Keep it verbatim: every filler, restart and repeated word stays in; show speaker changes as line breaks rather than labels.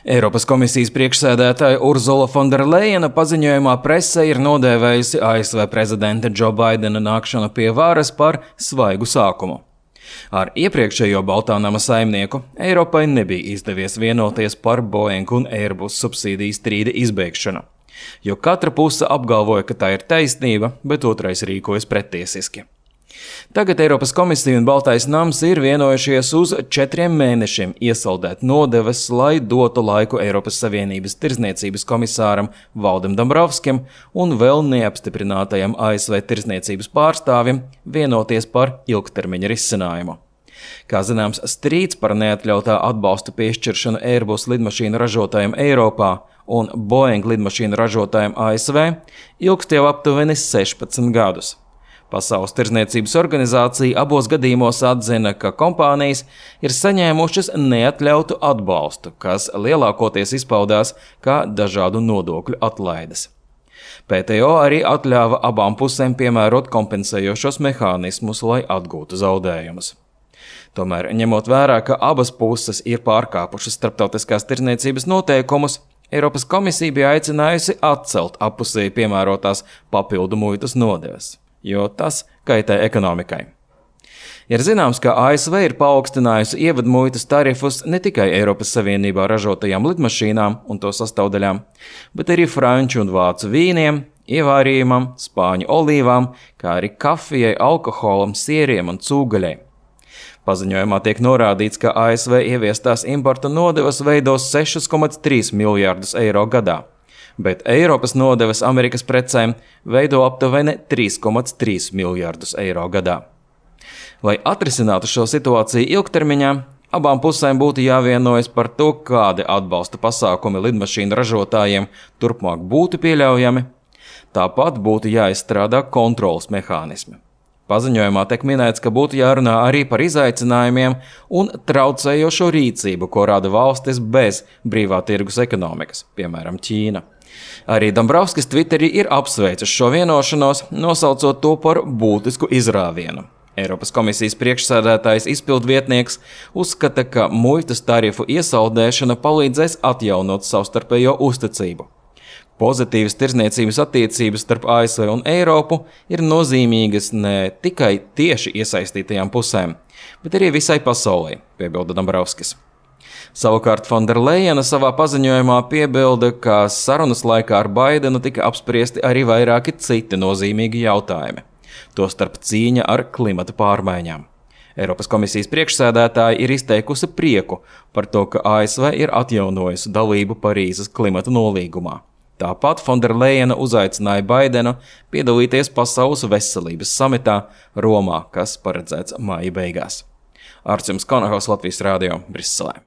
Eiropas komisijas priekšsēdētāja Urzula Fonderlejena paziņojumā presē ir nodēvējusi A S V prezidenta Džo Baidena nākšanu pie varas par svaigu sākumu. Ar iepriekšējo Baltā nama saimnieku Eiropai nebija izdevies vienoties par Boeing un Airbus subsīdiju strīda izbeigšanu, jo katra puse apgalvoja, ka tā ir taisnība, bet otrais rīkojas prettiesiski. Tagad Eiropas komisija un Baltais nams ir vienojušies uz četriem mēnešiem iesaldēt nodevas, lai dotu laiku Eiropas Savienības tirdzniecības komisāram Valdim Dombrovskim un vēl neapstiprinātajam A S V tirdzniecības pārstāvim vienoties par ilgtermiņa risinājumu. Kā zināms, strīds par neatļautā atbalsta piešķiršanu Airbus lidmašīnu ražotājiem Eiropā un Boeing lidmašīnu ražotājiem A S V ilgst jau aptuveni sešpadsmit gadus. Pasaules tirdzniecības organizācija abos gadījumos atzina, ka kompānijas ir saņēmušas neatļautu atbalstu, kas lielākoties izpaudās kā dažādu nodokļu atlaides. P T O arī atļāva abām pusēm piemērot kompensējošos mehānismus, lai atgūtu zaudējumus. Tomēr, ņemot vērā, ka abas puses ir pārkāpušas starptautiskās tirdzniecības noteikumus, Eiropas komisija bija aicinājusi atcelt appusēji piemērotās papildu muitas nodevas, jo tas kaitē ekonomikai. Ir zināms, ka A S V ir paaugstinājusi ievadmuitas tarifus ne tikai Eiropas Savienībā ražotajām lidmašīnām un to sastāvdaļām, bet arī franču un vācu vīniem, ievārījumam, spāņu olīvām, kā arī kafijai, alkoholam, sieriem un cūgaļai. Paziņojumā tiek norādīts, ka A S V ieviestās importa nodevas veidos sešus komats trīs miljārdus eiro gadā, bet Eiropas nodevas Amerikas precēm veido aptuveni trīs komats trīs miljārdus eiro gadā. Lai atrisinātu šo situāciju ilgtermiņā, abām pusēm būtu jāvienojas par to, kādi atbalsta pasākumi lidmašīnu ražotājiem turpmāk būtu pieļaujami. Tāpat būtu jāizstrādā kontrolas mehānismi. Paziņojumā tiek minēts, ka būtu jārunā arī par izaicinājumiem un traucējošo rīcību, ko rada valstis bez brīvā tirgus ekonomikas, piemēram, Ķīna. Arī Dombrovskis Twitterī ir apsveicis šo vienošanos, nosaucot to par būtisku izrāvienu. Eiropas komisijas priekšsēdētājs izpildvietnieks uzskata, ka muitas tarifu iesaldēšana palīdzēs atjaunot savstarpējo uzticību. Pozitīvas tirdzniecības attiecības starp A S V un Eiropu ir nozīmīgas ne tikai tieši iesaistītajām pusēm, bet arī visai pasaulē, piebilda Dombrovskis. Savukārt Fonderlejena savā paziņojumā piebilda, ka sarunas laikā ar Baidenu tika apspriesti arī vairāki citi nozīmīgi jautājumi, tostarp cīņa ar klimata pārmaiņām. Eiropas komisijas priekšsēdētāja ir izteikusi prieku par to, ka A S V ir atjaunojusi dalību Parīzes klimata nolīgumā. Tāpat Fonderlejena uzaicināja Baidenu piedalīties Pasaules veselības samitā Romā, kas paredzēts māja beigās. Arčuns Konahaus, Latvijas radio, Briselē.